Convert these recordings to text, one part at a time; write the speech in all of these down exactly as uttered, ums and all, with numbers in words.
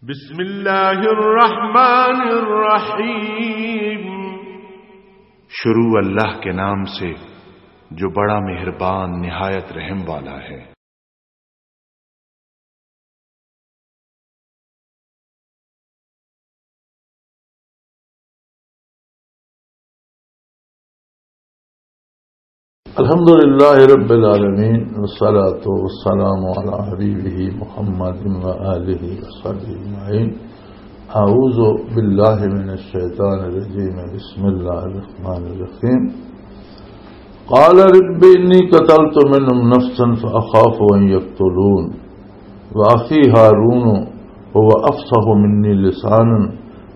بسم اللہ الرحمن الرحیم۔ شروع اللہ کے نام سے جو بڑا مہربان نہایت رحم والا ہے۔ الحمد لله رب العالمين، والصلاة والسلام على حبيبه محمد وآله وصحبه أجمعين. أعوذ بالله من الشيطان الرجيم. بسم الله الرحمن الرحيم. قال رب إني قتلت منهم نفسا فأخاف أن يقتلون. وأخي هارون هو أفصح مني لسانا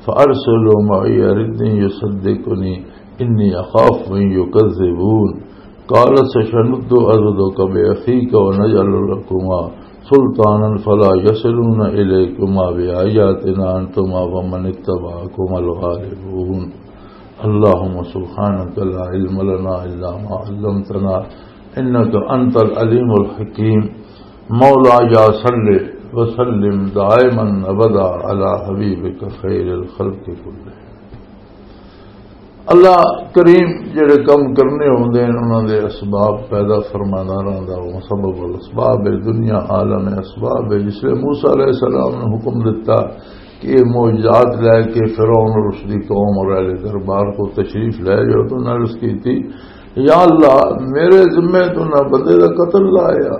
فأرسله معي يرد أن يصدقني إني أخاف أن يكذبون. قال سنشد عضدك بأخيك ونجعل لكما سلطانا فلا يصلون إليكما بآياتنا أنتما ومن اتبعكما الغالبون. اللهم سبحانك لا علم لنا إلا ما علمتنا إنك أنت العليم الحكيم. مولاي صل وسلم دائما أبدا على حبيبك خير الخلق كلهم. اللہ کریم جڑے کم کرنے ہوندے ہیں، انہاں دے اسباب پیدا فرمانا رہندا، وہ سبب الاسباب ہے، دنیا عالم اسباب ہے۔ جس لئے موسیٰ علیہ السلام نے حکم دیتا کہ یہ معجزات لے کے فرعون اور اس دی قوم اور اہل دربار کو تشریف لے جاؤ، تو انہاں نے عرض کی تھی، یا اللہ، میرے ذمے تو نہ بندے دا قتل لایا،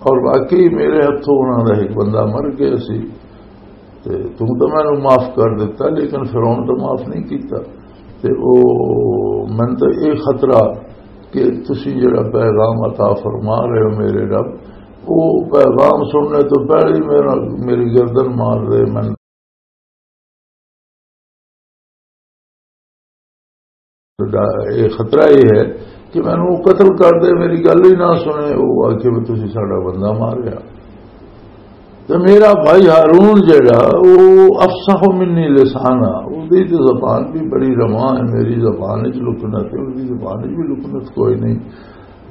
اور واقعی میرے ہتھوں انہاں دا ایک بندہ مر گیا سی۔ تے تم تو مینوں معاف کر دیتا، لیکن فرعون تو معاف نہیں کیتا۔ تے او، مینوں تو یہ خطرہ کہ تسی جڑا پیغام عطا فرما رہے ہو میرے رب، وہ پیغام سننے تو پہلے ہی میرا، میری گردن مار دے۔ میں یہ خطرہ یہ ہے کہ مینوں وہ قتل کر دے، میری گل ہی نہ سنے، وہ آکھے بھی تسی ساڈا بندہ ماریا۔ تے میرا بھائی ہارون جڑا، وہ افصح منی لسانا، وہ دی تے زبان بھی بڑی رواں ہے، میری زبان وچ لکنت ہے، اس دی زبان وچ بھی لکنت کوئی نہیں۔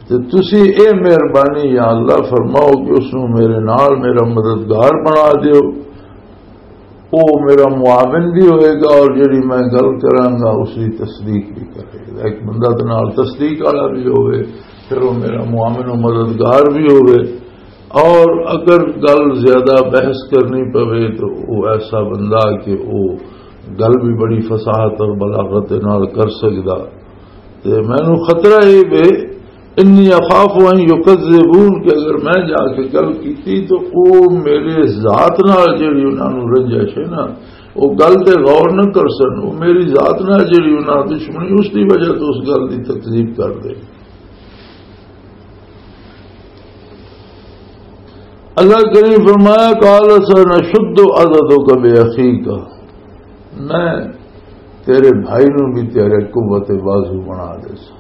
تے تسی اے مہربانی یا اللہ فرماؤ کہ اس نو میرے نال میرا مددگار بنا دیو۔ وہ میرا معاون بھی ہوئے گا اور جڑی میں گل کراں گا، اس کی تصدیق بھی کرے گا۔ ایک بندہ تے نال تصدیق والا بھی ہوئے، پھر وہ میرا معاون و مددگار بھی ہوئے۔ اور اگر گل زیادہ بحث کرنی پوے تو وہ ایسا بندہ کہ وہ گل بھی بڑی فصاحت اور بلاغت نال کر سکدا۔ تے مینوں خطرہ اے وے، انی اخاف ان یکذبون، کہ اگر میں جا کے گل کیتی تو او میرے ذات نال جڑی انہاں نوں رنجش ہے نا، او گل تے غور نہ کر سن، او میری ذات نال جڑی انہاں دشمنی، اس دی وجہ تو اس گل دی تکذیب کر دے۔ اللہ کریم فرمایا، قال سنشد عضدک باخیک، میں تیرے بھائی نو بھی تیرے قوت بازو بنا دے سا۔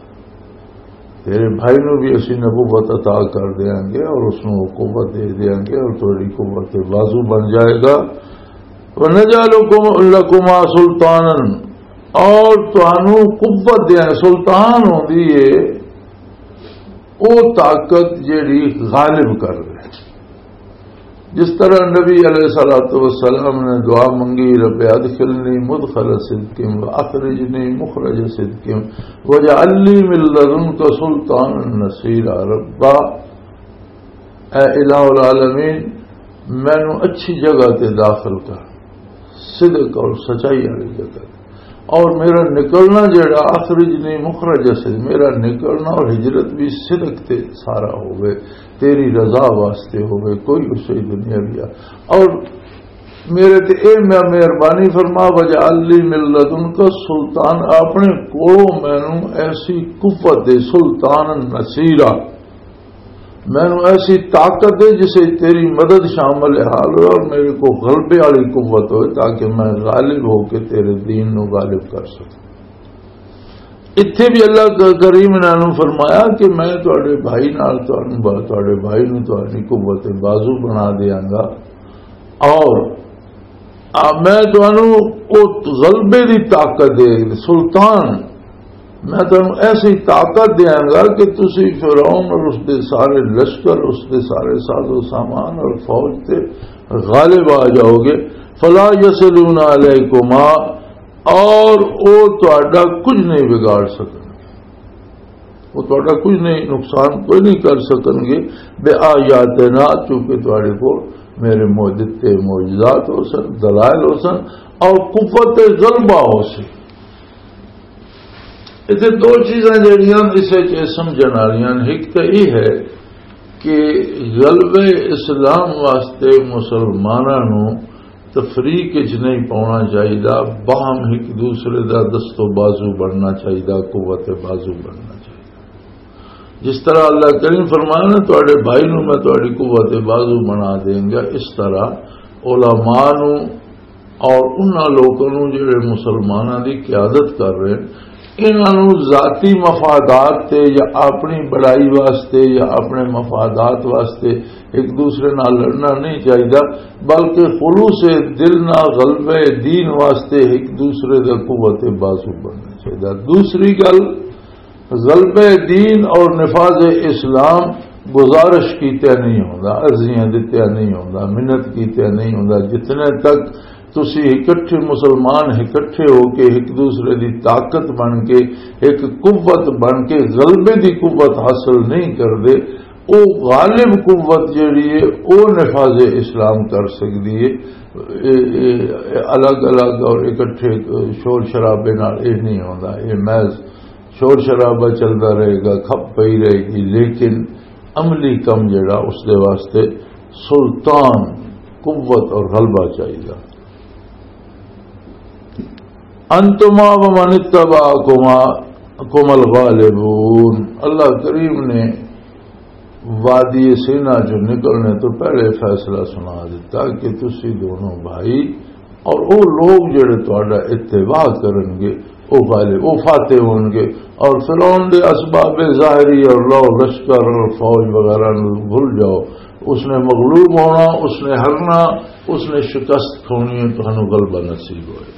تیرے بھائی نو بھی اسی نبوت عطا کر دیاں گے اور اس نو قوت دے دیاں گے اور تیری قوت بازو بن جائے گا۔ وَنَجْعَلُ لَكُمَا سُلْطَانًا، اور تانوں قوت دیاں، سلطان ہوندی ہے او طاقت جیڑی غالب کر دے۔ جس طرح نبی علیہ الصلوۃ والسلام نے دعا منگی، رب ادخلنی مدخل صدق و اخرجنی مخرج صدق واجعل لی من لدنک سلطانا نصیرا۔ ربا، اے الہ العالمین، مینوں اچھی جگہ تے داخل کر، صدق اور سچائی والی جگہ تے۔ اور میرا نکلنا جڑا، اخرجنی مخرج صدق، میرا نکلنا اور ہجرت بھی صدق تے سارا ہوئے، تیری رضا واسطے ہوئے، کوئی اس سے دنیا بھی آ۔ اور میرے تے اے مہربانی فرما، واجعل لی من لدنک سلطان، اپنے کولوں مینوں ایسی قوت دے، سلطان نصیرا، مینوں ایسی طاقت دے جسے تیری مدد شامل حال ہو اور میرے کو غلبے والی قوت ہوئے، تاکہ میں غالب ہو کے تیرے دین نو غالب کر سکوں۔ اتھے بھی اللہ ک-، کریم نے انہوں فرمایا کہ میں تواڈے بھائی نال، تانوں با-، تواڈے بھائی نوں تواڈی قوت بازو بنا دیاں گا، اور آ، میں تانوں او غلبے دی طاقت دے، سلطان، میں تانوں ایسی طاقت دیاں گا کہ تسی فرعون اور اس دے سارے لشکر، اس دے سارے ساز و سامان اور فوج تے غالب آ جاؤ گے۔ فلا یصلون علیکما، اور وہ تہاڈا کچھ نہیں بگاڑ سکن، وہ تہاڈا کچھ نہیں، نقصان کوئی نہیں کر سکن گے۔ بے آیاتنا، چونکہ تہاڈے کول میرے مو-، دتے معجزات ہو سن، دلائل ہو سن، اور قوت غلبہ ہو سی۔ اتنے دو چیزاں جڑیاں اس وچ اے سمجھن والیاں نے۔ ایک تو یہ ہے کہ غلبہ اسلام واسطے مسلماناں نوں تفریق وچ نہیں پاؤنا چاہیدا، باہم ایک دوسرے دا دست و بازو بننا چاہیدا، قوت بازو بننا چاہیدا۔ جس طرح اللہ کریم فرمایا نا، "تہاڈے بھائی نوں میں تہاڈی قوت بازو بنا دیں گا"، اس طرح علماء نوں اور انہاں لوکاں نوں جڑے مسلماناں دی قیادت کر رہے ہیں، انہاں نوں ذاتی مفادات تے یا اپنی بڑائی واسطے یا اپنے مفادات واسطے ایک دوسرے نال لڑنا نہیں چاہیدا، بلکہ خلوص دل نال غلبہ دین واسطے ایک دوسرے دا قوت بازو بننا چاہیدا۔ دوسری گل، غلبہ دین اور نفاذ اسلام گزارش کیتے نہیں ہوندا، عرضیاں دتیا نہیں ہوندا، منت کیتے نہیں ہوندا۔ جتنے تک تسی اکٹھے مسلمان اکٹھے ہو کے ایک دوسرے دی طاقت بن کے، ایک قوت بن کے غلبے دی قوت حاصل نہیں کردے، او غالب قوت جڑی ہے، او نفاذ اسلام کر سکدی ہے۔ اے، اے، اے الگ الگ اور اکٹھے شور شرابے نال اے نہیں ہوندا۔ اے محض شور شرابہ چلدا رہے گا، کھپ پئی رہے گی، لیکن عملی کم جڑا، اس دے واسطے سلطان، قوت اور غلبہ چاہیدا۔ انتما ومن اتبعکما کم الغالبون۔ اللہ کریم نے وادی سینا چ نکلنے تو پہلے فیصلہ سنا دیتا کہ تسی دونوں بھائی اور وہ لوگ جڑے تہاڈا اتباع کرن گے، وہ غالب، وہ فاتح ہون گے۔ اور فرعون دے اسباب ظاہری اور لو لشکر اور فوج وغیرہ نو بھول جاؤ، اس نے مغلوب ہونا، اس نے ہرنا، اس نے شکست کھونی ہے، تہانوں غلبہ نصیب ہوئے۔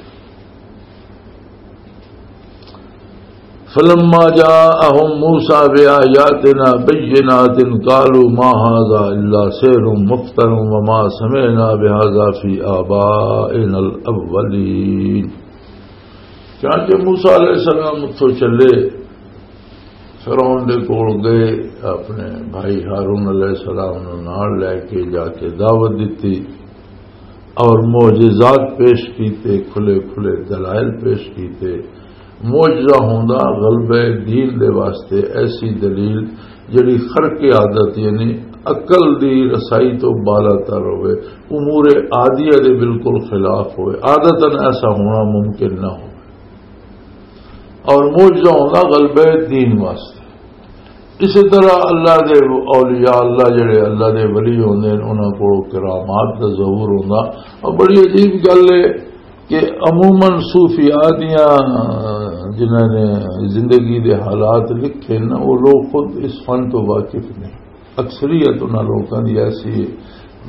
فلما جاءهم موسى بآياتنا بينات قالوا ما هذا إلا سحر مفترى وما سمعنا بهذا في آبائنا الأولين۔ چنانچہ موسیٰ علیہ السلام اتھوں چلے، فرعون دے کول گئے، اپنے بھائی ہارون علیہ السلام نوں نال لے کے جا کے دعوت دتی اور معجزات پیش کیتے، کھلے کھلے دلائل پیش کیتے۔ معجزہ ہوندا غلبہ دین دے واسطے ایسی دلیل جڑی خرق عادت، یعنی عقل دی رسائی تو بالاتر ہوئے، امور عادیہ دے بالکل خلاف ہوئے، عادتاً ایسا ہونا ممکن نہ ہو۔ اور معجزہ ہوندا غلبہ دین واسطے۔ اسی طرح اللہ دے اولیاء، اللہ جڑے اللہ دے ولی ہوندے نے، انہاں کول کرامات دا ظہور ہوندا۔ اور بڑی عجیب گل ہے کہ عموماً صوفیاء دیاں، جنہاں نے زندگی دے حالات لکھے نا، وہ لوگ خود اس فن تو واقف نہیں۔ اکثریت انہاں لوکاں دی ایسی ہے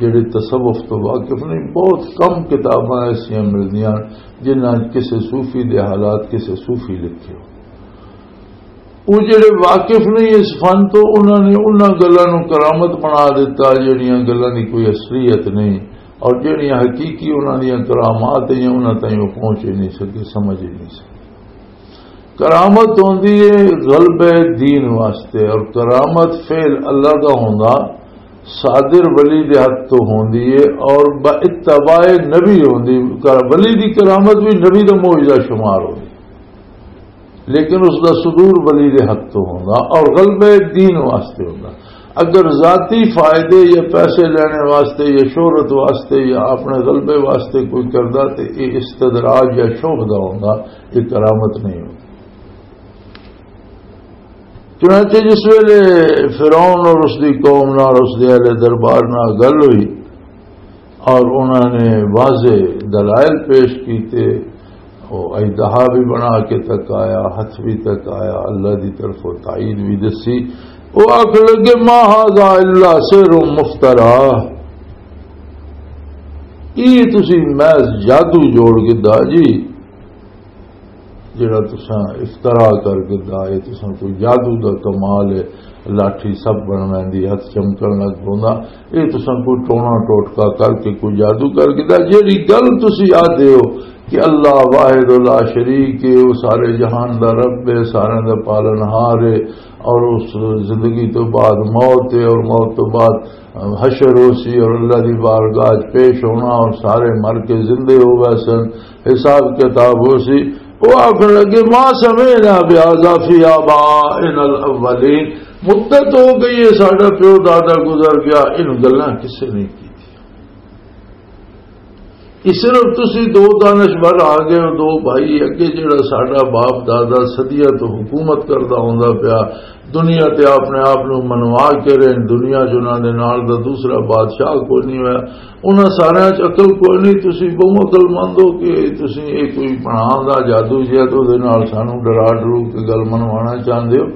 جڑے تصوف تو واقف نہیں۔ بہت کم کتاباں ایسیاں ملدیاں جنہاں کسے صوفی دے حالات کسے صوفی لکھے ہو۔ وہ جڑے واقف نہیں اس فن تو، انہاں نے انہاں گلاں نوں کرامت بنا دیتا جڑیاں گلاں دی کوئی اصلیت نہیں، اور جڑیاں حقیقی انہاں دیاں کرامات ہیں، انہاں تائیں وہ پہنچ ہی نہیں سکے، سمجھ ہی نہیں سکے۔ کرامت ہوندی ہے غلبہ دین واسطے، اور کرامت فعل اللہ دا ہوندا، صادر ولی دے ہاتھ تو ہوندی ہے، اور با اتباع نبی ہوندی۔ کر-، ولی دی کرامت بھی نبی دا معجزہ شمار ہوندی، لیکن اس دا صدور ولی دے ہاتھ تو ہوندا، اور غلبہ دین واسطے ہوندا۔ اگر ذاتی فائدے یا پیسے لینے واسطے یا شہرت واسطے یا اپنے غلبے واسطے کوئی کردا، تے یہ استدراج یا شوبدہ ہوندا، یہ کرامت نہیں ہوندی۔ چنانچہ جس ویلے فرعون اور اس دی قوم نال، اس دے اہل دربار نال گل ہوئی اور انہاں نے واضح دلائل پیش کیتے، وہ اژدہا بھی بنا کے تک آیا، ہاتھ بھی تک آیا، اللہ دی طرفوں تائید بھی دسی۔ وہ آکھ لگے، "ما ھذا الا سحر مفترا"، یہ تسی محض جادو جوڑ گدا جی، جڑا تساں افترا کر گدا ہے، تساں کوئی جادو دا کمال ہے۔ لاٹھی سب بن ویندی، ہتھ چمکن لگ پوندا۔ اے تساں کوئی ٹونا ٹوٹکا کر کے، کوئی جادو کر کے، دا جیڑی گل تسی آدھے ہو کہ اللہ واحد لا شریک ہے، وہ سارے جہان دا رب ہے، سارے دا پالن ہار ہے، اور اس زندگی تو بعد موت ہے، اور موت تو بعد حشر ہو سی، اور اللہ دی بارگاہ چ پیش ہونا، اور سارے مر کے زندے ہو گئے سن، حساب کتاب ہو سی۔ وہ آخر لگے، "ما سمعنا بهذا في آبائنا الأولين۔" مدت ہو گئی ہے، ساڈا پیو دادا گزر گیا، ان گلاں کسے نہیں کی۔ اس صرف تسی دو دانشور آ گئے ہو، دو بھائی، اگے جڑا ساڈا باپ دادا صدیاں تو حکومت کردا ہوندا پیا، دنیا تے اپنے آپ نو منوا کے رہن، دنیا چ انہاں دے نال دا دوسرا بادشاہ کوئی نہیں ہویا۔ انہاں ساریاں چ عقل کوئی نہیں، تسی بہوں عقل مند ہو کہ تسی اے کوئی بنا دا جادو جہا تے اودے نال سانو ڈرا ڈرو کے گل منوانا چاہندے ہو۔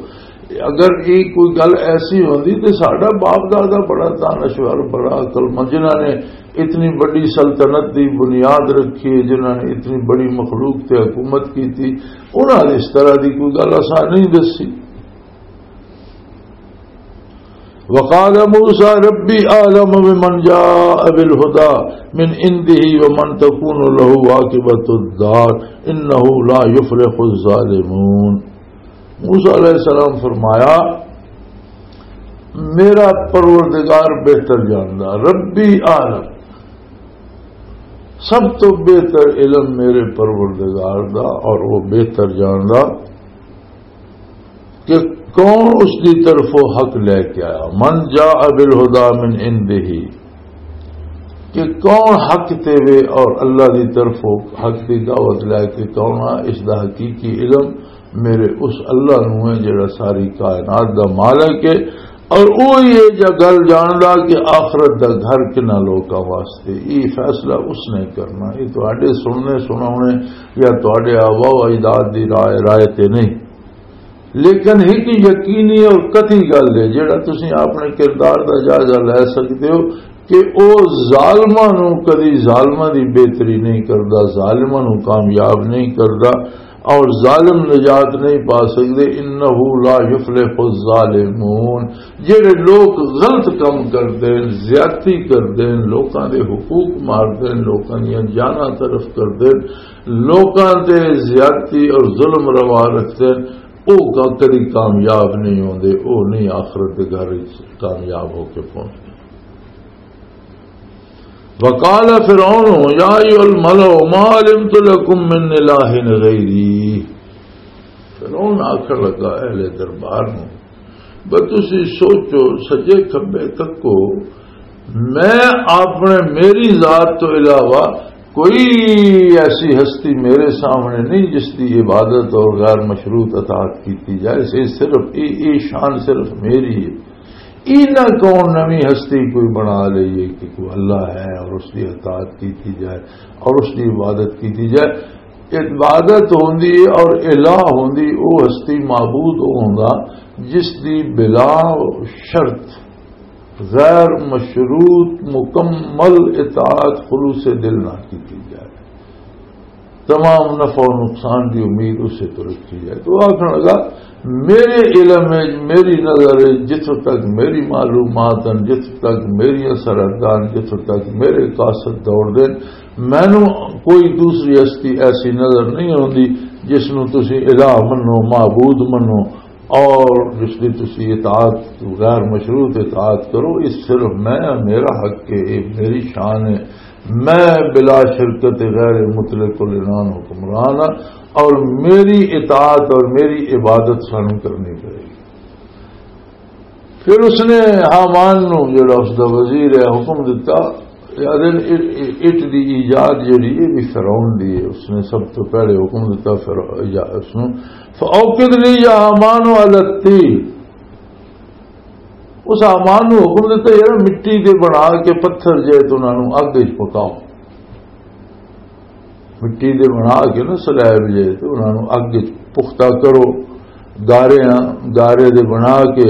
اگر یہ کوئی گل ایسی ہوندی تے ساڈا باپ دادا بڑا دانشور، بڑا عقل مند، جنہاں نے اتنی بڑی سلطنت دی بنیاد رکھی ہے، جنہاں نے اتنی بڑی مخلوق تے حکومت کی تھی، انہاں نے اس طرح دی کوئی گل اساں نہیں دسی۔ وقال موسیٰ ربی اعلم بمن جاء بالہدی من عندہ ومن تکون لہ عاقبۃ الدار انہ لا یفلح الظالمون۔ موسیٰ علیہ السلام فرمایا، میرا پروردگار بہتر جاندا، ربی اعلم، سب تو بہتر علم میرے پروردگار دا، اور وہ بہتر جاندا کہ کون اس دی طرفوں حق لے کے آیا۔ من جاء بالہدی من عندہ، کہ کون حق تے وے اور اللہ دی طرفوں حق دی دعوت لے کے کون آ، اس دا حقیقی علم میرے اس اللہ نو ہے جڑا ساری کائنات دا مالک ہے، اور وہی ہے جا گل جاندا کہ آخرت دا گھر کنا لوکاں واسطے۔ یہ فیصلہ اس نے کرنا، یہ تواڈے سننے سناونے یا تواڈے آبا و اجداد دی رائے، رائے تے نہیں۔ لیکن ایک یقینی اور قطعی گل ہے، جڑا تسی اپنے کردار دا جائزہ لے سکتے ہو کہ او ظالماں نو کدی ظالماں دی بہتری نہیں کردا، ظالماں نو کامیاب نہیں کردا، اور ظالم نجات نہیں پا سکدے۔ انہ لا یفلح الظالمون، جڑے لوگ غلط کام کردے ہیں، زیادتی کردے ہیں، لوکاں دے حقوق ماردے ہیں، لوکاں دیاں جاناں تلف کردے ہیں، لوکاں تے زیادتی اور ظلم روا رکھدے ہیں، او کا-، کدی کامیاب نہیں ہوندے، او نہیں آخرت دے گھر وچ کامیاب ہو کے پہنچدے۔ وقال فرعون یا ایھا الملأ ما علمت لکم من الہ غیری۔ فرعون آکھن لگا اہل دربار نوں، بس تسی سوچو، سجے کھبے تکو، میں اپنے، میری ذات تو علاوہ کوئی ایسی ہستی میرے سامنے نہیں جس کی عبادت اور غیر مشروط اطاعت کی جائے۔ یہ صرف، یہ، یہ شان صرف میری ہے۔ اینا کون نویں ہستی کوئی بنا لئیے کہ کوئی اللہ ہے اور اس کی اطاعت کی جائے اور اس کی عبادت کی جائے۔ عبادت ہوندی ہے اور الہ ہوندی، او ہستی معبود او ہوندا جس دی بلا شرط غیر مشروط مکمل اطاعت خلوص دل نہ کی جائے، تمام نفع و نقصان دی امید اسے تو رکھی جائے۔ تو آخر لگا، میرے علم وچ، میری نظر وچ، جتھوں تک میری معلومات ہیں، جتھوں تک میری سرحداں، جتھوں تک میرے قاصد دوڑ دے، مینوں کوئی دوسری ہستی ایسی نظر نہیں ہوندی جس نوں تسی الہ منو، معبود منو، اور جس دی تسی اطاعت، غیر مشروط اطاعت کرو۔ اس صرف میں، میرا حق ہے، یہ میری شان ہے۔ میں بلا شرکت غیر مطلق العنان حکمران ہاں، اور میری اطاعت اور میری عبادت سانوں کرنی پڑے گی۔ پھر اس نے حامان نو، جڑا اس دا وزیر ہے، حکم دتا، یاد ہے، اٹ، اٹ دی ایجاد جڑی ہے، بھی فرعون دی ہے۔ اس نے سب تو پہلے حکم دتا فرع-، یا اس نو، "فاوقد لی یا حامان علی الطین۔" اس حامان نو حکم دتا، "یار، مٹی دے بنا کے پتھر جے تو انہاں نو اگ وچ پکاؤ۔" مٹی دے بنا کے نا سلیب جے تے انہاں نوں اگ وچ پختہ کرو، گاریاں، گارے دے بنا کے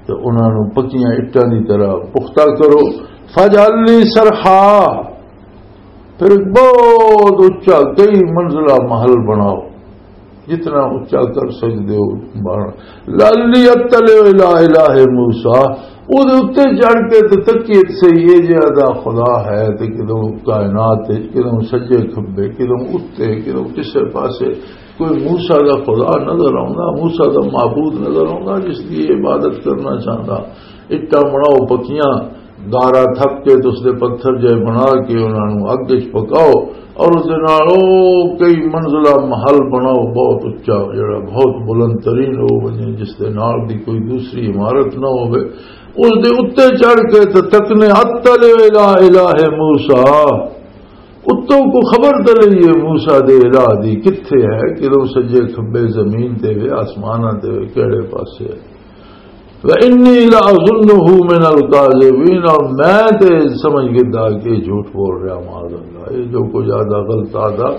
تے انہاں نوں پکیاں اٹاں دی طرح پختہ کرو۔ فاجعل لی سرحا، پھر ایک بہت اچا کئی منزلہ محل بناؤ۔ جتنا اچا کر سکدے ہو، بار۔ لعلی اطلع الی الہ موسیٰ، او دے اُتے چڑھ کے تے تکیے تے صحیح، اے جہاں دا خدا ہے، تے کدوں کائنات وچ، کدوں سجے کھبے، کدوں اُتے، کدوں کسے پاسے، کوئی موسیٰ دا خدا نظر آوندا، موسیٰ دا معبود نظر آوندا، جس دی عبادت کرنا چاہندا۔ اٹاں بناؤ پکیاں، گارا تھپ کے تے اس دے پتھر جے بنا کے انہاں نوں اگ وچ پکاؤ، اور اس دے نال او کئی منزلہ محل بناؤ، بہت اچا، جڑا بہت بلند ترین ہو ونجے، جس دے نال دی کوئی دوسری عمارت نہ ہوے۔ اس دے اُتے چڑھ کے تے تکنے، اطلع الی الہ موسیٰ، اتوں کو خبر تے لئیے موسیٰ دے الہ دی کتھے ہے، کدوں سجے کھبے زمین تے وے، آسماناں تے وے، کیڑے پاسے ہے۔ وَإِنِّي لَأَظُنُّهُ مِنَ الْكَاذِبِينَ، اور میں تے سمجھ گدا کہ یہ جھوٹ بول رہا، معاذ اللہ، یہ جو کچھ آدھا غلط آدھا،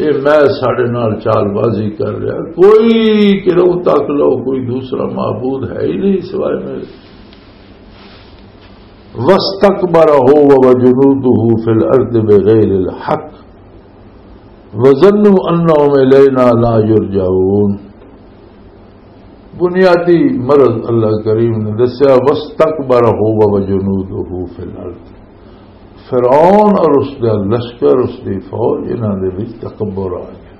یہ میں ساڈے نال چال بازی کر رہا، کوئی کدوں تک لو، کوئی دوسرا معبود ہے ہی نہیں سوائے میرے۔ وَاسْتَكْبَرَ هُوَ وَجُنُودُهُ فِي الْأَرْضِ بِغَيْرِ الْحَقِّ وَظَنُّوا أَنَّهُمْ إِلَيْنَا لَا يُرْجَعُونَ۔ بنیادی مرض اللہ کریم نے دسیا، وَاسْتَكْبَرَ هُوَ وَجُنُودُهُ فِي الْأَرْضِ۔ فرعون اور اس دا لشکر، اس دی فوج، انہاں دے وچ تکبر آ گیا۔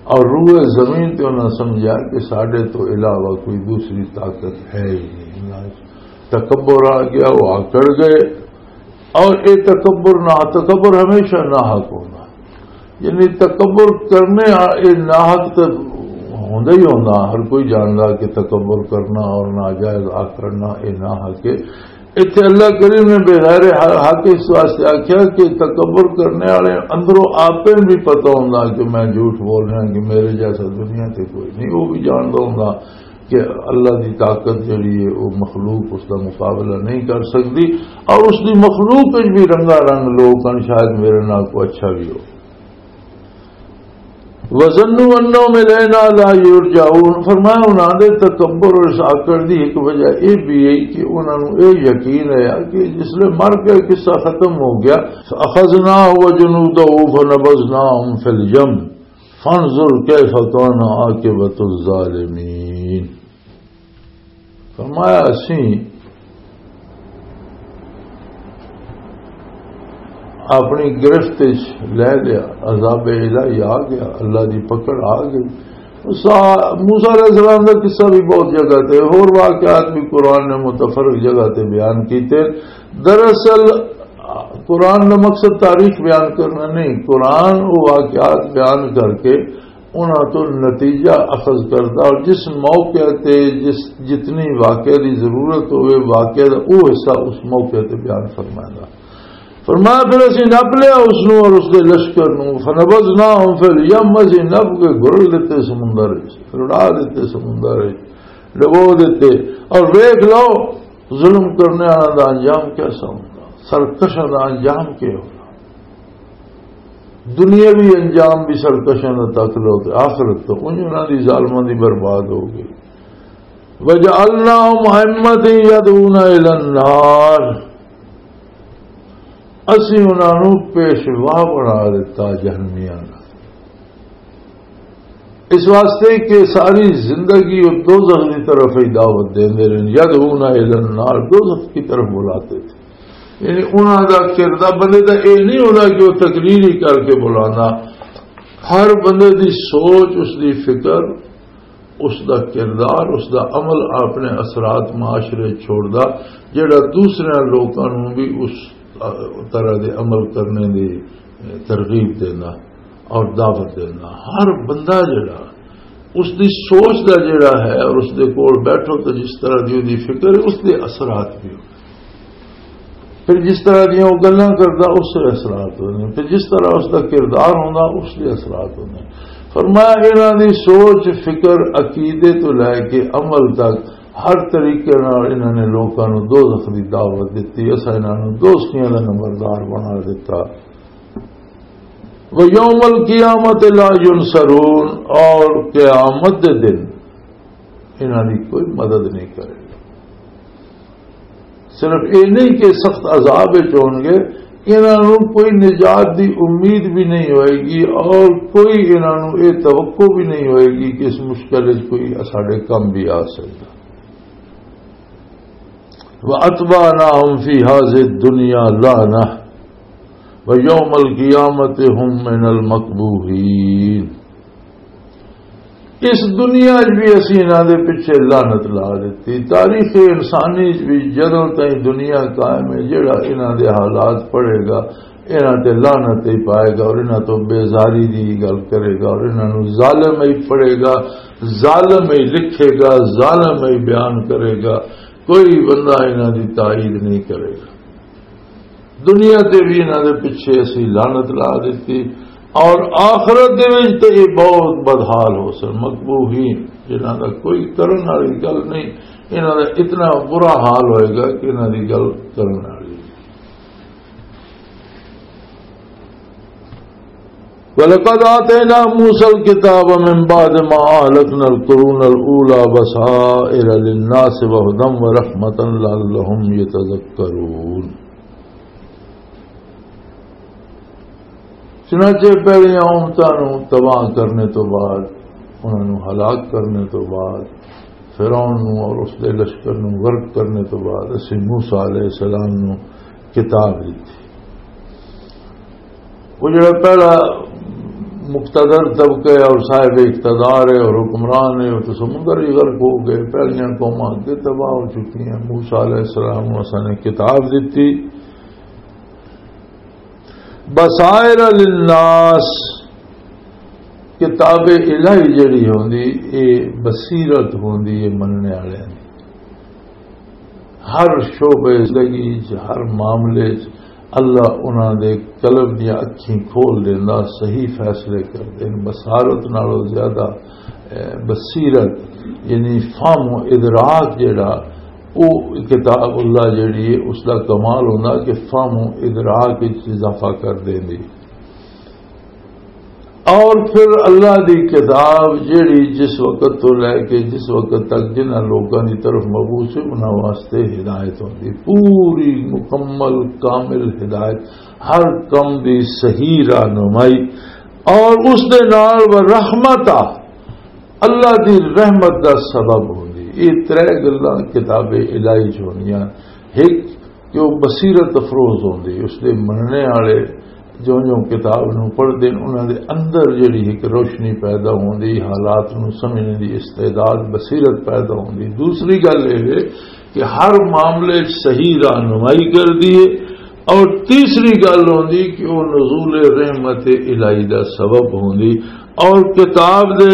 اور روئے زمین تے انہاں سمجھا کہ ساڈے تو علاوہ کوئی دوسری طاقت ہے ہی نہیں۔ تکبر آ گیا، وہ آکڑ گئے۔ اور اے تکبر نہ، تکبر ہمیشہ ناحق ہونا۔ یعنی تکبر کرنے آ، اے ناحق تے ہوندا ہی ہوندا، ہر کوئی جاندا کہ تکبر کرنا اور ناجائز آکڑنا اے ناحق ہے۔ ایتھے اللہ کریم نے بغیر حق اس واسطے آکھیا کہ تکبر کرنے والے اندروں آپ بھی پتہ ہوندا کہ میں جھوٹ بول رہا، کہ میرے جیسا دنیا تے کوئی نہیں۔ وہ بھی جاندا ہوندا کہ اللہ دی طاقت جڑی ہے، وہ مخلوق اس دا مقابلہ نہیں کر سکتی، اور اس دی مخلوق وچ بھی رنگا رنگ لوگ ہن، شاید میرے نال کوئی اچھا بھی ہو۔ وَظَنُّوا أَنَّهُمْ إِلَيْنَا لَا يُرْجَعُونَ۔ فرمایا، انہاں دے تکبر اور اس آکڑ دی ایک وجہ یہ بھی ہے کہ انہاں نوں یہ یقین ہے کہ جس لے مر گئے، قصہ ختم ہو گیا۔ فَأَخَذْنَاهُ وَجُنُودَهُ فَنَبَذْنَاهُمْ فِي الْيَمِّ فَانظُرْ كَيْفَ كَانَ عَاقِبَةُ الظَّالِمِينَ۔ فرمایا، اسی اپنی گرفت وچ لے لیا، عذاب الہی آ گیا، اللہ دی پکڑ آ گئی۔ سا-، موسیٰ علیہ السلام دا قصہ بھی بہت جگہ تے، ہور واقعات بھی قرآن نے متفرق جگہ تے بیان کیتے۔ دراصل قرآن دا مقصد تاریخ بیان کرنا نہیں، قرآن وہ واقعات بیان کر کے انہاں تو نتیجہ اخذ کردا، اور جس موقع تے جس، جتنی واقعے دی ضرورت ہوئے، واقعے دا او حصہ اس موقع تے بیان فرمائے گا۔ فرمایا، پھر اسی نپ لیا اس نو اور اس دے لشکر نو، فنبذناہم فی الیم، اسی نپ کے گھرل دیتے سمندر وچ، رڑا دیتے سمندر وچ، ڈبو دیتے۔ اور ویکھ لو، ظلم کرنے والا دا انجام کیسا ہوندا، سرکشاں دا انجام کیا ہونا۔ دنیاوی انجام بھی سرکشاں دا تک لو تے آخرت تو انج انہاں دی ظالماں دی برباد ہو گئی۔ وَجَعَلْنَاهُمْ أَئِمَّةً يَدْعُونَ إِلَى النَّارِ، اسی انہاں نوں پیشوا بنا دیتا جہنمیاں دا۔ اس واسطے کہ ساری زندگی وہ دوزخ دی طرف ہی دعوت دیندے رہے، یدعون الی النار، دوزخ کی طرف بلاتے تھے۔ یعنی انہاں دا کردار، بندے دا اے نہیں ہونا کہ وہ تقریر ہی کر کے بلانا، ہر بندے دی سوچ، اس دی فکر، اس دا کردار، اس دا عمل اپنے اثرات معاشرے چھوڑدا، جڑا دوسرے لوکاں نوں بھی اس طرح دے عمل کرنے دی ترغیب دینا اور دعوت دینا۔ ہر بندہ جڑا اس دی سوچ دا جڑا ہے اور اس دے کول بیٹھو تو جس طرح دی دی فکر ہے، اس دے اثرات بھی ہو۔ پھر جس طرح دیاں وہ گلاں کردا، اس دے اثرات ہوندے۔ پھر جس طرح اس دا کردار ہوندا، اس دے اثرات ہوندے۔ فرمایا، انہاں دی سوچ، فکر، عقیدے تو لے کے عمل تک ہر طریقے نال انہاں نے لوکاں نوں دوزخ دی دعوت دتی۔ اساں انہاں نوں دوزخیاں دا نمبردار بنا دتا۔ وَيَوْمَ الْقِيَامَةِ لَا يُنصَرُونَ، اور قیامت دے دن انہاں دی کوئی مدد نہیں کرے گا۔ صرف یہ نہیں کہ سخت عذاب وچ ہون گے، انہاں نوں کوئی نجات دی امید بھی نہیں ہوئے گی اور کوئی انہاں نوں یہ توقع بھی نہیں ہوئے گی کہ اس مشکل وچ کوئی ساڈے کم بھی آ سکدا۔ وَأَتْبَعْنَاهُمْ فِي هَٰذِهِ الدُّنْيَا لَعْنَةً وَيَوْمَ الْقِيَامَةِ هُمْ مِنَ الْمَقْبُوحِينَ۔ اس دنیا وچ بھی اسی انہاں دے پیچھے لعنت لا دتی۔ تاریخ انسانی وچ بھی جدوں تائیں دنیا قائم ہے، جڑا انہاں دے حالات پڑھے گا، انہاں تے لعنت ہی پائے گا اور انہاں تو بیزاری دی گل کرے گا اور انہاں نوں ظالم ہی پڑھے گا، ظالم ہی لکھے گا، ظالم ہی بیان کرے گا۔ کوئی بندہ انہاں دی تائید نہیں کرے گا۔ دنیا تے بھی انہاں دے پیچھے اسی لعنت لا دتی اور آخرت دے وچ تے یہ بہت بدحال ہو سن، مقبوحین، جنہاں دا کوئی کرن والی گل نہیں، انہاں دا اتنا برا حال ہوئے گا کہ انہاں دی گل کرن والی نہیں۔ وَلَقَدْ آتَيْنَا مُوسَى الْكِتَابَ مِنْ بَعْدِ مَا أَهْلَكْنَا الْقُرُونَ الْأُولَى بَصَائِرَ لِلنَّاسِ وَهُدًى وَرَحْمَةً لَعَلَّهُمْ يَتَذَكَّرُونَ۔ چنانچہ پہلیاں امتاں نوں تباہ کرنے تو بعد، انہاں نوں ہلاک کرنے تو بعد، فرعون نوں اور اس دے لشکر نوں غرق کرنے تو بعد، اسی موسیٰ علیہ السلام نوں کتاب دتی۔ وہ جڑا پہلا مقتدر طبقہ ہے اور صاحب اقتدار ہے اور حکمران ہے، وہ تو سمندر ہی غرق ہو گئے، پہلیاں قوماں اگے تباہ ہو چکی ہیں۔ موسیٰ علیہ السلام نوں اساں نے کتاب دتی، بصائر للناس، کتاب الہی جڑی ہوندی، اے بصیرت ہوندی ہے مننے والے دی۔ ہر شعبے زندگی چ، ہر معاملے چ اللہ انہاں دے قلب دیاں اکھیں کھول دیندا، صحیح فیصلے کردے نے۔ بصارت نالوں زیادہ، اے، بصیرت، یعنی فہم و ادراک جڑا، او کتاب اللہ جڑی ہے، اس دا کمال ہوندا کہ فہم و ادراک وچ اضافہ کر دیندی۔ اور پھر اللہ دی کتاب جیڑی جس وقت تو لے کے جس وقت تک جنہاں لوکاں دی طرف مبعوث ہے، انہاں واسطے ہدایت ہوندی، پوری مکمل کامل ہدایت، ہر کم دی صحیح رہنمائی، اور اس دے نال و رحمت آ، اللہ دی رحمت دا سبب ہوندی۔ یہ ترے گلاں کتاب الہی چ ہوندیاں۔ ایک کہ وہ بصیرت افروز ہوندی، اس دے مننے والے جو جو کتاب نوں پڑھدے نے، انہاں دے اندر جڑی ایک روشنی پیدا ہوندی، حالات نوں سمجھنے دی استعداد، بصیرت پیدا ہوندی۔ دوسری گل یہ ہے کہ ہر معاملے وچ صحیح رہنمائی کردی ہے، اور تیسری گل ہوندی کہ وہ نزول رحمت الہی دا سبب ہوندی، اور کتاب دے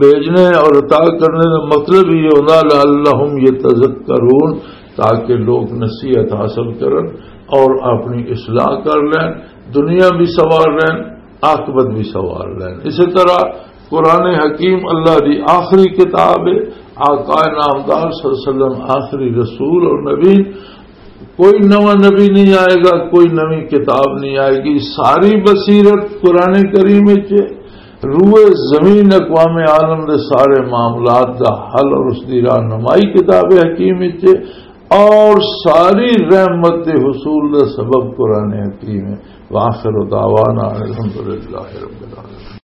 بھیجنے اور عطا کرنے دا مطلب یہ ہوندا، لعلہم یتذکرون، تاکہ لوگ نصیحت حاصل کرن اور اپنی اصلاح کر لین، دنیا بھی سوار لین، آخرت بھی سوار لین۔ اسی طرح قرآن حکیم اللہ دی آخری کتاب ہے، آقا نامدار صلی اللہ علیہ وسلم آخری رسول اور نبی، کوئی نواں نبی نہیں آئے گا، کوئی نوی کتاب نہیں آئے گی۔ ساری بصیرت قرآن کریم وچ ہے۔ روئے زمین اقوام عالم دے سارے معاملات دا حل اور اس دی رہنمائی کتاب حکیم وچ ہے، اور ساری رحمت دے حصول دا سبب قرآن حکیم ہے۔ وآخر دعوانا الحمدللہ رب العالمین۔